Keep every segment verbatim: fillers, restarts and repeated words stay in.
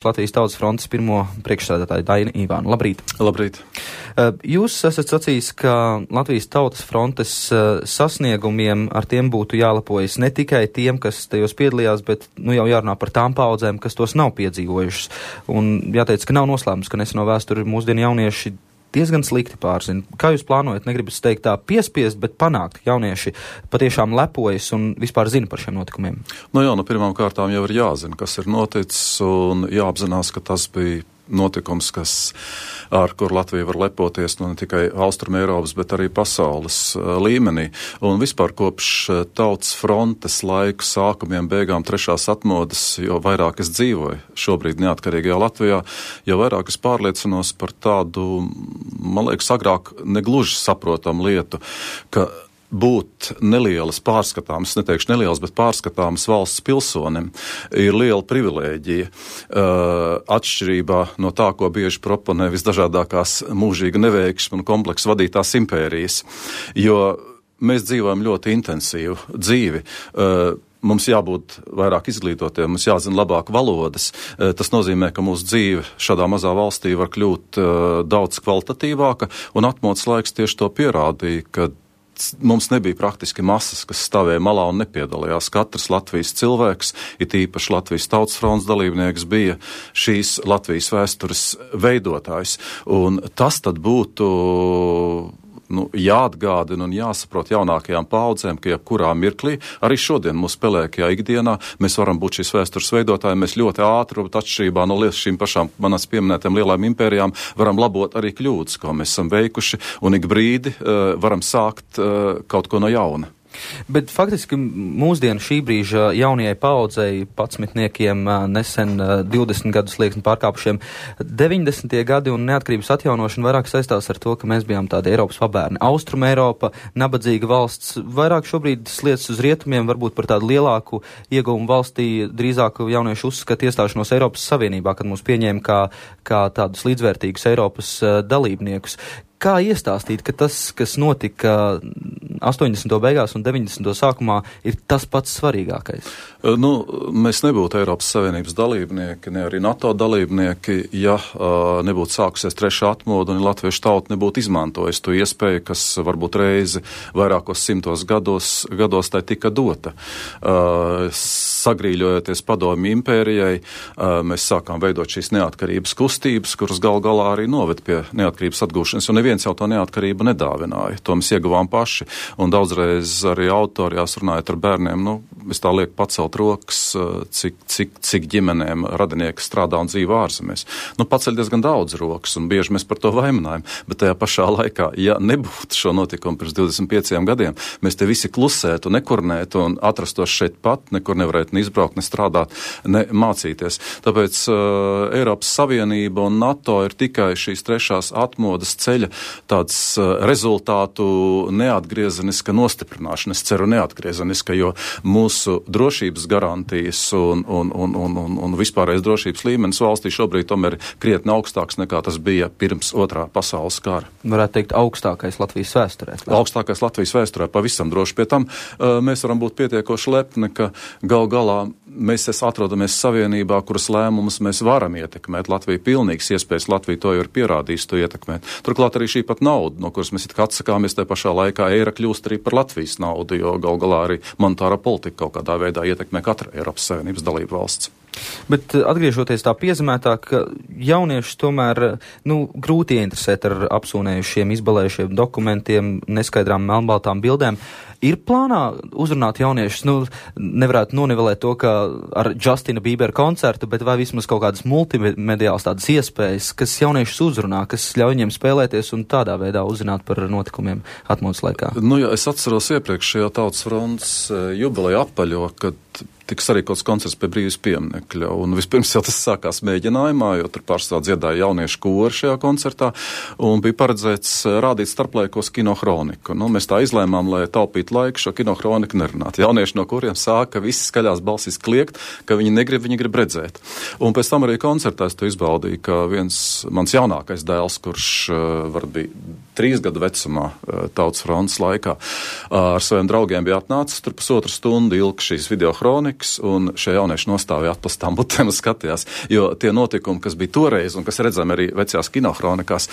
Latvijas Tautas frontes pirmo priekšsēdētāju Daini Ivānu. Labrīt! Labrīt! Jūs esat sacījis, ka Latvijas Tautas frontes sasniegumiem ar tiem būtu jālepojas ne tikai tiem, kas tajos piedalījās, bet nu jau jārunā par tām paudzēm, kas tos nav piedzīvojušas. Un jāteic, ka nav noslēpums, ka neseno vēsturi mūsdienu jaunieši diezgan slikti pārzina. Kā jūs plānojat, negribas teikt tā piespiest, bet panākt, jaunieši patiešām lepojas un vispār zina par šiem notikumiem? Nu jā, nu pirmām kārtām jau ir jāzina, kas ir noticis, un jāapzinās, ka tas bija notikums, kas, ar kur Latvija var lepoties, nu ne tikai Austrum Eiropas, bet arī pasaules uh, līmenī. Un vispār kopš uh, Tautas frontes laiku sākumiem, beigām trešās atmodas, jo vairāk es dzīvoju šobrīd neatkarīgajā Latvijā, jo vairāk es pārliecinos par tādu, man liekas, agrāk negluži saprotam lietu, ka būt nelielas pārskatāmas, neteikšu nelielas, bet pārskatāmas valsts pilsonim ir liela privilēģija, uh, atšķirībā no tā, ko bieži proponē visdažādākās mūžīga neveiksma un kompleksa vadītās impērijas, jo mēs dzīvojam ļoti intensīvu dzīvi. Uh, Mums jābūt vairāk izglītotiem, mums jāzina labāk valodas. Tas nozīmē, ka mūsu dzīve šādā mazā valstī var kļūt uh, daudz kvalitatīvāka, un atmodas laiks tieši to pierādīja, ka mums nebija praktiski masas, kas stāvēja malā un nepiedalījās. Katrs Latvijas cilvēks, it īpaši Latvijas Tautas frontes dalībnieks, bija šīs Latvijas vēstures veidotājs. Un tas tad būtu nu, jāatgādina un jāsaprot jaunākajām paudzēm, ka jebkurā mirklī, arī šodien mūsu pelēkajā ikdienā, mēs varam būt šīs vēstures veidotāji, mēs ļoti ātri, atšķirībā no šīm pašām manas pieminētām lielām impērijām, varam labot arī kļūdas, ko mēs esam veikuši, un ik brīdi uh, varam sākt uh, kaut ko no jauna. Bet faktiski mūsdienu šī brīža jaunajai paaudzei, padsmitniekiem, nesen divdesmit gadus slieksni pārkāpušiem, deviņdesmitie gadi un neatkarības atjaunošana vairāk saistās ar to, ka mēs bijām tādi Eiropas pabērni. Austrum Eiropa, nabadzīga valsts, vairāk šobrīd sliec uz rietumiem, varbūt par tādu lielāku ieguvumu valstī, drīzāk jaunieši uzskata iestāšanos Eiropas Savienībā, kad mūs pieņēma kā, kā tādus līdzvērtīgus Eiropas dalībniekus. Kā iestāstīt, ka tas, kas notika astoņdesmito beigās un deviņdesmito sākumā, ir tas pats svarīgākais? Nu, mēs nebūtu Eiropas Savienības dalībnieki, ne arī NATO dalībnieki, ja uh, nebūtu sākusies trešā atmoda un latviešu tauta nebūtu izmantojusi to iespēju, kas varbūt reizi vairākos simtos gados, gados tai tika dota. Uh, sagrīļojoties padomju impērijai, uh, mēs sākām veidot šīs neatkarības kustības, kuras gal galā arī noved pie neatkarības atgūšanas, un neviens jau to neatkarību nedāvināja. To mēs ieguvām paši, un daudzreiz arī autorijās runājot ar bērniem, nu, es tā lieku pacelt rokas, cik, cik, cik ģimenēm radinieki strādā un dzīvo ārzemēs. Nu, paceļ diezgan daudz rokas, un bieži mēs par to vaimanājam, bet tajā pašā laikā, ja nebūtu šo notikumu pirms divdesmit pieciem gadiem, mēs te visi klusētu, nekurnētu un atrastos šeit pat, nekur nevarētu ne izbraukt, ne strādāt, ne mācīties. Tāpēc uh, Eiropas Savienība un NATO ir tikai šīs trešās atmodas ceļa tāds uh, rezultātu neatgriezeniska nostiprināšana, es ceru neatgriezeniska, jo mūsu drošības garantijas un, un, un, un, un, un vispārējais drošības līmenis valstī šobrīd tomēr ir krietni augstāks nekā tas bija pirms otrā pasaules kara. Varētu teikt augstākais Latvijas vēsturē. Augstākais Latvijas vēsturē, pavisam droši. Pie tam uh, mēs varam būt pietiekoši lepni, ka gal galā mēs atrodamies savienībā, kuras lēmumus mēs varam ietekmēt. Latvija pilnīgs iespējas, Latvija to jau ir pierādījis, to ietekmēt. Turklāt arī šī pat nauda, no kuras mēs it kā atsakāmies, tajā pašā laikā eira kļūst arī par Latvijas naudu, jo gal galā arī monetāra politika kaut kādā veidā ietekmē katra Eiropas Savienības dalību valsts. Bet atgriežoties tā piezemētāk, jaunieši tomēr, nu, grūti ieinteresēt ar apsūnējušiem, izbalējušiem dokumentiem, neskaidrām melnbaltām bildēm. Ir plānā uzrunāt jauniešus, nu, nevarētu nonivelēt to, ka ar Justina Bībera koncertu, bet vai vismaz kaut kādas multimediāls tādas iespējas, kas jauniešus uzrunā, kas ļauj viņiem spēlēties un tādā veidā uzzināt par notikumiem atmodas laikā? Nu, jā, es atceros iepriekšējā Tautas frontes jubileja apaļo, kad tiks arī kāds koncerts pie brīvības pieminekļa. Un vispirms jau tas sākās mēģinājumā, jo tur pārstāv dziedāja jauniešu kori šajā koncertā, un bija paredzēts rādīt starplaikos kinohroniku. Nu, mēs tā izlēmām, lai taupītu laiku šo kinohroniku nerunāt. Jaunieši, no kuriem sāka visi skaļās balsīs kliegt, ka viņi negrib, viņi grib redzēt. Un pēc tam arī koncertā es to izbaudīju, ka viens mans jaunākais dēls, kurš var bija trīs gadu vecumā Tautas frontes laikā, ar saviem draugiem bija atnācis, tur pusotru stundu ilgi šīs videohronika, muļķis, un šie jaunieši nostāvēja atpastām butēm un skatījās, jo tie notikumi, kas bija toreiz, un kas redzami arī vecajās kinohronikās,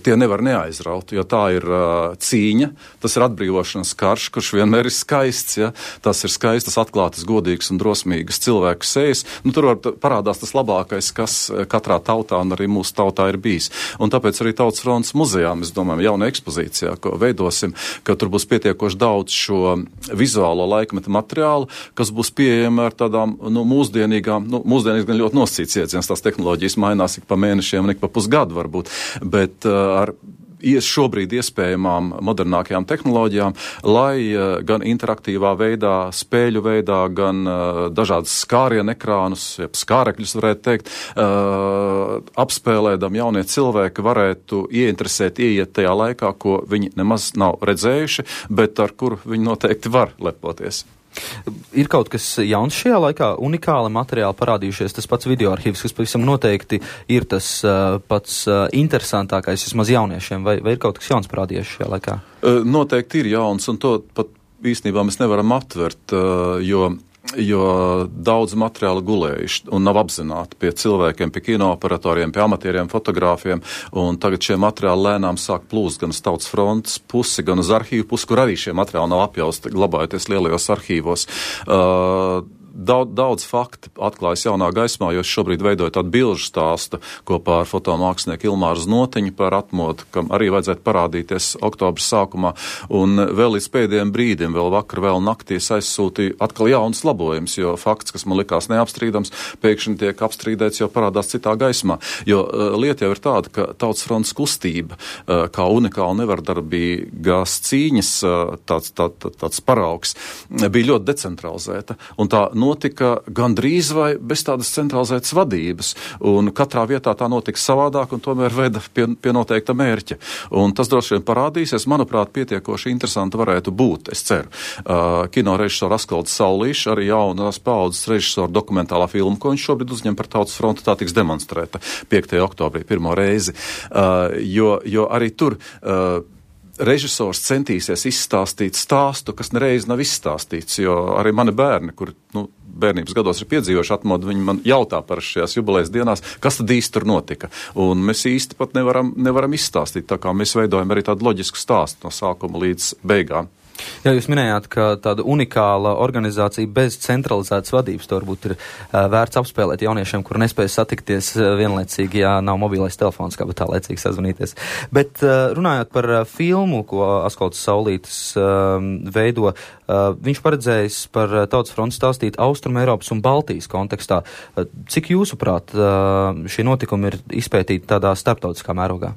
tie nevar neaizraut, jo tā ir uh, cīņa, tas ir atbrīvošanas karš, kurš vienmēr ir skaists, ja, tas ir skaistas, atklātas, godīgas un drosmīgas cilvēku sejas, nu tur var parādās tas labākais, kas katrā tautā un arī mūsu tautā ir bijis. Un tāpēc arī Tautas frontes muzejā, mēs domājam, jauna ekspozīcijā, ko veidosim, ka tur būs pietiekoši daudz šo vizuālo laikmeta materiālu, kas būs pieejama ar tādām, nu, mūsdienīgām, nu, mūsdienīgas gan ļoti nosacīts iedziens, tās tehnoloģijas mainās ik pa mēnešiem un ik pa pusgadu varbūt, bet uh, ar šobrīd iespējamām modernākajām tehnoloģijām, lai uh, gan interaktīvā veidā, spēļu veidā, gan uh, dažādas skārienu ekrānus, jeb skārekļus varētu teikt, uh, apspēlēdam jaunie cilvēki varētu ieinteresēt, ieiet tajā laikā, ko viņi nemaz nav redzējuši, bet ar kuru viņi noteikti var lepoties. Ir kaut kas jauns šajā laikā, unikāli materiāli parādījušies, tas pats videoarhīvs, kas pavisam noteikti ir tas uh, pats uh, interesantākais, vismaz jauniešiem, vai, vai ir kaut kas jauns parādījies šajā laikā? Uh, noteikti ir jauns, un to pat īstenībā mēs nevaram aptvert, uh, jo jo daudz materiāla gulējuši un nav apzināti pie cilvēkiem, pie kinooperatoriem, pie amatieriem, fotogrāfiem, un tagad šie materiāli lēnām sāk plūst gan uz Tautas frontes pusi, gan uz arhīvu pusi, kur arī šie materiāli nav apjausti, glabājoties lielajos arhīvos. Uh, Daudz, daudz fakti atklājas jaunā gaismā, jo es šobrīd veidoju tādu bilžu stāstu kopā ar fotomākslinieku Ilmāru Znotiņu par atmodu, kam arī vajadzētu parādīties oktobra sākumā. Un vēl līdz pēdējiem brīdim, vēl vakar, vēl naktī es aizsūtīju atkal jaunas labojums, jo fakts, kas man likās neapstrīdams, pēkšņi tiek apstrīdēts, jo parādās citā gaismā. Jo uh, lieta jau ir tāda, ka Tautas frontes kustība, uh, kā unikāla nevardarbīgās cīņas, uh, tāds, tā, tā, tāds paraugs, bija ļoti decentralizēta. Un tā notika gandrīz vai bez tādas centralizētas vadības, un katrā vietā tā notika savādāk, un tomēr veda pie, pie noteikta mērķa. Un tas droši vien parādīsies, manuprāt, pietiekoši interesanti varētu būt, es ceru. Uh, kino režisora Askalds Saulīšs, arī jaunās paaudzes režisora dokumentālā filma, ko viņš šobrīd uzņem par Tautas fronti, tā tiks demonstrēta piektajā oktobrī pirmo reizi. Uh, jo, jo arī tur uh, režisors centīsies izstāstīt stāstu, kas nereiz nav izstāstīts, jo arī mani bērni, kuri, nu, bērnības gados ir piedzīvojuši atmodu, viņi man jautā par šajās jubilejas dienās, kas tad īsti tur notika. Un mēs īsti pat nevaram, nevaram izstāstīt, tā kā mēs veidojam arī tādu loģisku stāstu no sākuma līdz beigām. Jā, jūs minējāt, ka tāda unikāla organizācija bez centralizētas vadības to varbūt ir uh, vērts apspēlēt jauniešiem, kur nespēj satikties uh, vienlaicīgi, ja nav mobilais telefons, kā bet tā laicīgi sazvanīties. Bet uh, runājot par uh, filmu, ko Askalds Saulītis uh, veido, uh, viņš paredzējis par uh, Tautas fronti stāstīt Austrum Eiropas un Baltijas kontekstā. Uh, cik jūsuprāt uh, šie notikumi ir izpētīti tādā starptautiskā mērogā?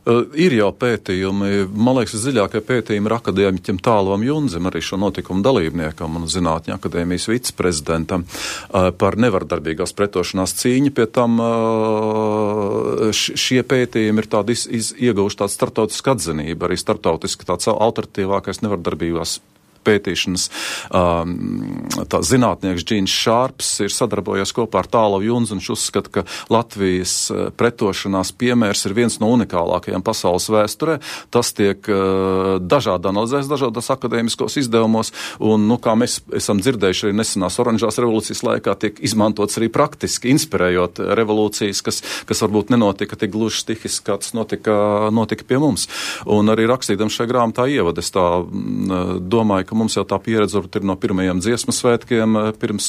Uh, ir jau pētījumi, man liekas, dziļākie pētījumi ir akadēmiķim Tālam Junzim, arī šo notikumu dalībniekam un zinātņu akadēmijas viceprezidentam uh, par nevardarbīgās pretošanās cīņu. Pie tam uh, šie pētījumi ir tādi iz, iz, ieguvuši tādu startautisku atzinību, arī startautiski tāds alternatīvākais nevardarbīgās pētīšanas um, tā zinātnieks Džīns Šārps ir sadarbojies kopā ar Tālu Junzu, un viņš uzskata, ka Latvijas pretošanās piemērs ir viens no unikālākajiem pasaules vēsturē. Tas tiek uh, dažādi analizēts dažādos akadēmiskos izdevumos, un, nu, kā mēs esam dzirdējuši arī nesenās oranžās revolūcijas laikā, tiek izmantots arī praktiski, inspirējot revolūcijas, kas, kas varbūt nenotika tik gluži stihiski, kā tas notika, notika pie mums. Un arī rakstīdam šajā grāmatā ievadu, es tā mm, domāju, ka mums jau tā pieredze varbūt ir no pirmajiem dziesmu svētkiem pirms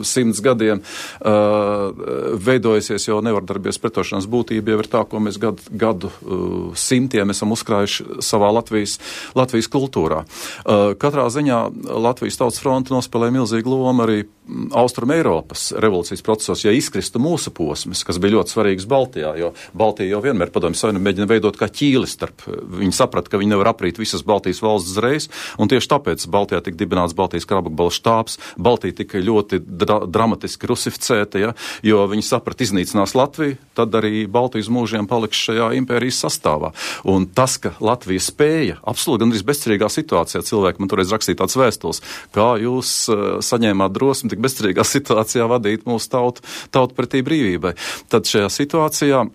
simts gadiem uh, veidojusies, jo nevardarbības pretošanās būtība jau ir tā, ko mēs gadu, gadu uh, simtiem esam uzkrājuši savā Latvijas, Latvijas kultūrā. Uh, katrā ziņā Latvijas Tautas fronte nospēlē milzīgu lomu arī Austrum Eiropas revolūcijas procesos, ja izkristu mūsu posms, kas bija ļoti svarīgs Baltijā, jo Baltija jau vienmēr padomju savienība mēģina veidot kā ķīli starp. Viņi saprata, ka viņi nevar aprīt visas Baltijas valsts uzreiz, un tieši tāpēc Baltijā tika dibināts Baltijas karabakbalu štābs, Baltija tika ļoti dra dramatiski rusificēta, ja, jo viņi saprata, iznīcinās Latviju, tad arī Baltijas mūžiem paliks šajā impērijas sastāvā. Un tas, ka Latvija spēja, absolūti gandrīz bezcerīgā situācijā, cilvēki man toreiz rakstīja tāds vēstules, kā jūs uh, saņēmāt drosmi tik bezcerīgā situācijā vadīt mūsu tautu, tautu pretī brīvībai. Tad šajā situācijā uh,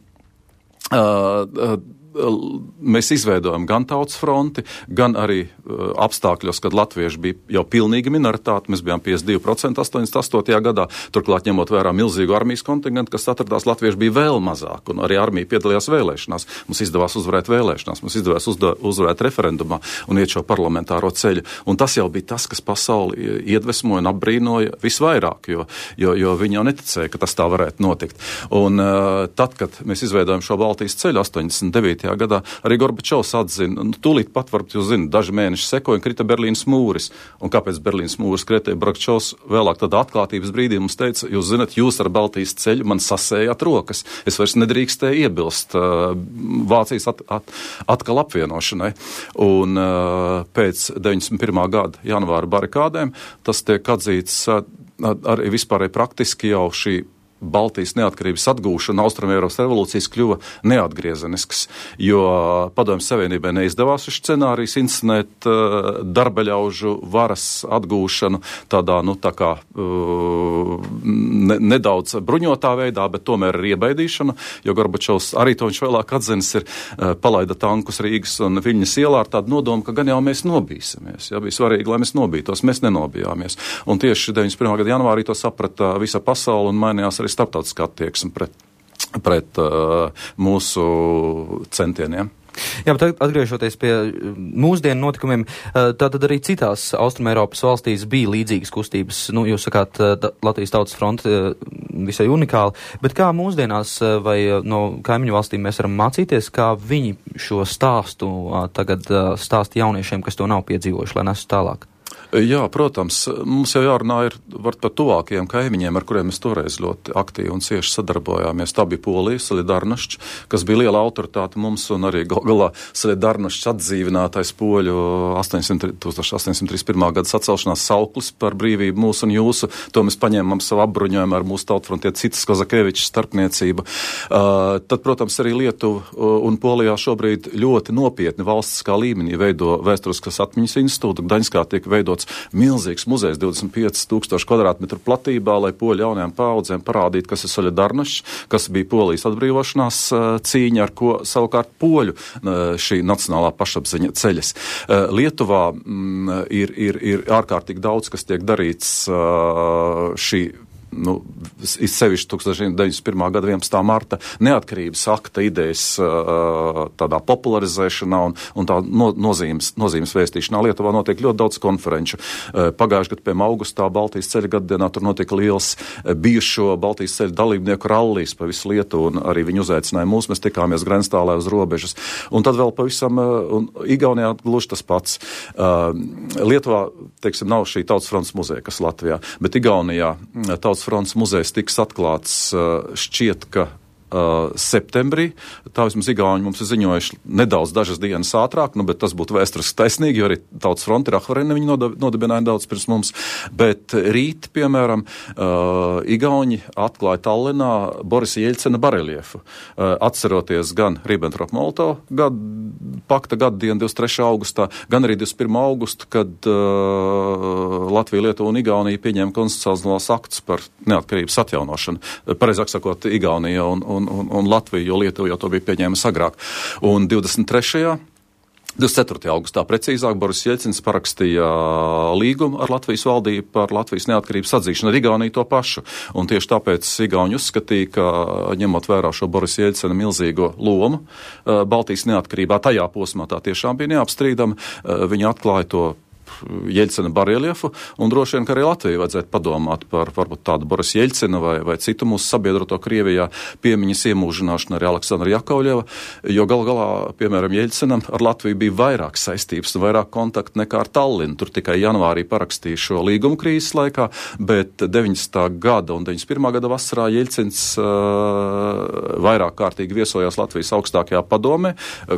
uh, mēs izveidojam gan Tautas fronti, gan arī uh, apstākļos, kad latvieši bija jau pilnīga minoritāte. Mēs bijām piecdesmit divi procenti astoņdesmit astotajā gadā, turklāt ņemot vērā milzīgu armijas kontingentu, kas atradās, latvieši bija vēl mazāk, un arī armija piedalījās vēlēšanās. Mums izdevās uzvarēt vēlēšanās, mums izdevās uzda, uzvarēt referendumā un iet šo parlamentāro ceļu. Un tas jau bija tas, kas pasauli iedvesmoja un apbrīnoja visvairāk, jo, jo, jo viņi jau neticēja, ka tas tā varētu notikt. Un uh, tad, kad mēs izveidojam šo Baltijas ceļu astoņdesmit devītajā gadā, arī Gorbačovs atzina, nu, tūlīt pat, varbūt jūs zināt, daži mēneši sekoja un krita Berlīnas mūris. Un kāpēc Berlīnas mūris kritēja? Gorbačovs vēlāk tādā atklātības brīdī mums teica, jūs zināt, jūs ar Baltijas ceļu man sasējāt rokas. Es vairs nedrīkstēju iebilst uh, Vācijas at, at, atkal apvienošanai. Un uh, pēc deviņdesmit pirmā gada janvāra barikādēm tas tiek atzīts uh, arī vispārēji praktiski jau šī Baltijas neatkarības atgūšana, Austrumēropas revolūcijas kļuva neatgriezenisks, jo Padomju Savienībai neizdevās šis scenārijs inscenēt uh, darbaļaužu varas atgūšanu tādā, nu, tā kā uh, ne, nedaudz bruņotā veidā, bet tomēr ar iebaidīšanu, jo Gorbačovs arī to viņš vēlāk atzinis ir uh, palaida tankus Rīgas un Viļņas ielā ar tādu nodomu, ka gan jau mēs nobīsimies. Jā, bija svarīgi, lai mēs nobītos, mēs nenobijāmies. Un tieši deviņdesmit pirmā gada janvārī to saprata visa pasaule un mainījās arī starptautiskā attieksme pret, pret uh, mūsu centieniem. Jā, bet atgriežoties pie mūsdienu notikumiem, tātad arī citās Austrumēropas valstīs bija līdzīgas kustības. Nu, jūs sakāt, Latvijas Tautas fronte visai unikāli, bet kā mūsdienās vai no kaimiņu valstīm mēs varam mācīties, kā viņi šo stāstu tagad stāsta jauniešiem, kas to nav piedzīvojuši, lai nesu tālāk? Jā, protams, mums jau jārunā ir par tuvākajiem kaimiņiem, ar kuriem mēs toreiz ļoti aktīvi un cieši sadarbojāmies. Tā bija Polija, Solidarnošķ, kas bija liela autoritāte mums, un arī gal galā Solidarnošķ atdzīvinātais poļu tūkstoš astoņsimt trīsdesmit pirmā gada sacelšanās sauklis par brīvību mūsu un jūsu. To mēs paņēmām savu apbruņojumu ar mūsu tautfrontie Citas Kozakevičs starpniecību. Uh, tad, protams, arī Lietuva un Polijā šobrīd ļoti nopietni valstiskā līmenī veido vēsturiskas atmiņas institūtu. Gdaņskā tiek veidots milzīgs muzejs divdesmit pieci tūkstoši kvadrātmetru platībā, lai poļu jaunajām paaudzēm parādītu, kas ir Solidarnošķ, kas bija Polijas atbrīvošanās cīņa, ar ko savukārt poļu šī nacionālā pašapziņa ceļas. Lietuvā mm, ir, ir, ir ārkārtīgi daudz, kas tiek darīts šī nu, izsevišķi tūkstoš deviņdesmit pirmā gada vienpadsmitā marta neatkarības akta idejas uh, tādā popularizēšanā un, un tā no, nozīmes, nozīmes vēstīšanā. Lietuvā notiek ļoti daudz konferenču. Uh, Pagājušajā gadā, piemēram, augustā Baltijas ceļa gaddienā tur notika liels uh, bijušo Baltijas ceļa dalībnieku rallijs pa visu Lietuvu, un arī viņi uzaicināja mūs, mēs tikāmies Grenstālē uz robežas. Un tad vēl pavisam, uh, un Igaunijā gluži tas pats. Uh, Lietuvā, teiksim, nav šī Tautas frontes muzeja, kas Latvijā, bet Igaunijā Tautas frontes muzejs tiks atklāts šķiet, ka Uh, septembrī. Tā vismaz Igauni mums ir ziņojuši nedaudz dažas dienas ātrāk, nu, bet tas būtu vēsturiski taisnīgi, jo arī Tautas fronte ir Ahvarene, viņi nodibināja daudz pirms mums. Bet rīt, piemēram, uh, Igauni atklāja Tallinā Borisa Jeļcena bareliefu, uh, atceroties gan Ribbentrop-Molotovu gadu, pakta gadu dienu divdesmit trešā augustā, gan arī divdesmit pirmā augustu, kad uh, Latvija, Lietuva un Igaunija pieņēma konstitucionālos aktus par neatkarības atjaunošanu. Pareizāk sakot, Igaunija un, un Un, un Latvija, jo Lietuva jau to bija pieņēmusi agrāk. Un divdesmit trešajā divdesmit ceturtajā augustā precīzāk Boris Jeļcins parakstīja līgumu ar Latvijas valdību par Latvijas neatkarības atzīšanu, ar Igauniju to pašu. Un tieši tāpēc Igauni uzskatīja, ka ņemot vērā šo Boris Jeļcina milzīgo lomu Baltijas neatkarībā, tajā posmā tā tiešām bija neapstrīdama, viņi atklāja to Jeļcina bareliefu, un droši vien, ka arī Latvijai vajadzētu padomāt par varbūt tādu Boris Jeļcina vai, vai citu mūsu sabiedroto Krievijā piemiņas iemūžināšanu arī Aleksandra Jakovļeva, jo gal galā, piemēram, Jeļcinam ar Latviju bija vairāk saistības un vairāk kontaktu nekā ar Tallinu. Tur tikai janvārī parakstīja šo līgumu krīzes laikā, bet deviņdesmitā gada un deviņdesmit pirmā gada vasarā Jeļcins uh, vairāk kārtīgi viesojās Latvijas augstākajā padomē,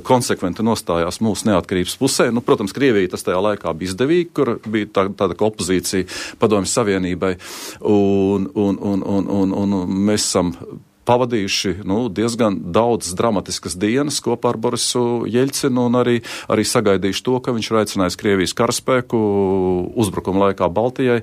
konsekventi nostājās mūsu neatkarības pusē. Nu, protams, Krievija tas tajā laikā bija izdevīgi, kur bija tā, tāda opozīcija Padomju Savienībai, un, un, un, un, un, un mēs esam pavadījuši nu, diezgan daudz dramatiskas dienas kopā ar Borisu Jeļcinu un arī, arī sagaidījuši to, ka viņš ir aicinājis Krievijas karaspēku uzbrukuma laikā Baltijai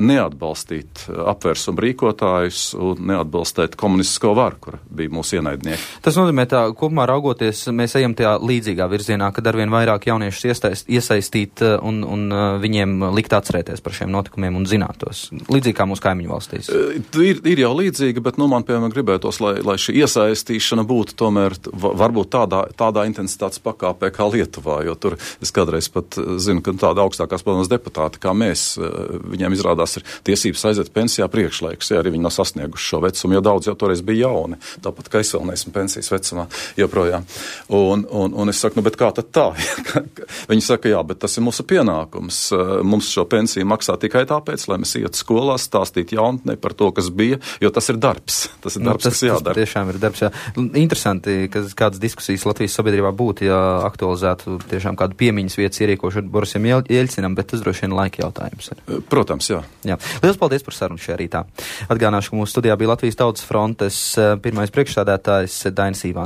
neatbalstīt apvērsumu rīkotājus un neatbalstīt komunistisko varu, kura bija mūsu ienaidnieki. Tas nozīmē tā, kopumā raugoties, mēs ejam tajā līdzīgā virzienā, kad arvien vairāk jauniešus iesaist, iesaistīt un, un viņiem likt atcerēties par šiem notikumiem un zinātos. Līdzīgi kā mūsu kaimiņu valstīs. Ir, ir jau līdzīgi, bet nu, man, piemēram, gribētos, lai, lai šī iesaistīšana būtu tomēr varbūt tādā, tādā intensitātes pakāpē kā Lietuvā, jo tur es kādreiz pat zinu, ka tāda augstākās padomes deputāti kā mēs, viņiem izrādās ir tiesības aiziet pensijā priekšlaikus, ja arī viņi nav sasnieguši šo vecumu, jo daudz jau toreiz bija jauni, tāpat kā es vēl neesmu pensijas vecumā joprojām. Un, un, un es saku, nu, bet kā tad tā? Viņi saka, jā, bet tas ir mūsu pienākums. Mums šo pensiju maksā tikai tāpēc, lai mēs ietu skolās, stāstīt jaunatnē par to, kas bija, jo tas ir darbs. Tas ir darbs, nu, tas, kas jādara. Tas tiešām ir darbs, jā. Interesanti, ka kādas diskusijas Latvijas sabiedrībā būtu, ja aktualizētu tiešām kādu piemiņas vietas ierīkošanu Borisam Jeļcinam, bet tas droši vien laika jautājums ir. Protams, jā. jā. Lielas paldies par sarunu šajā rītā. Atgādināšu, ka mūsu studijā bija Latvijas Tautas frontes pirmais priekšsādātājs Dainis Ivāns.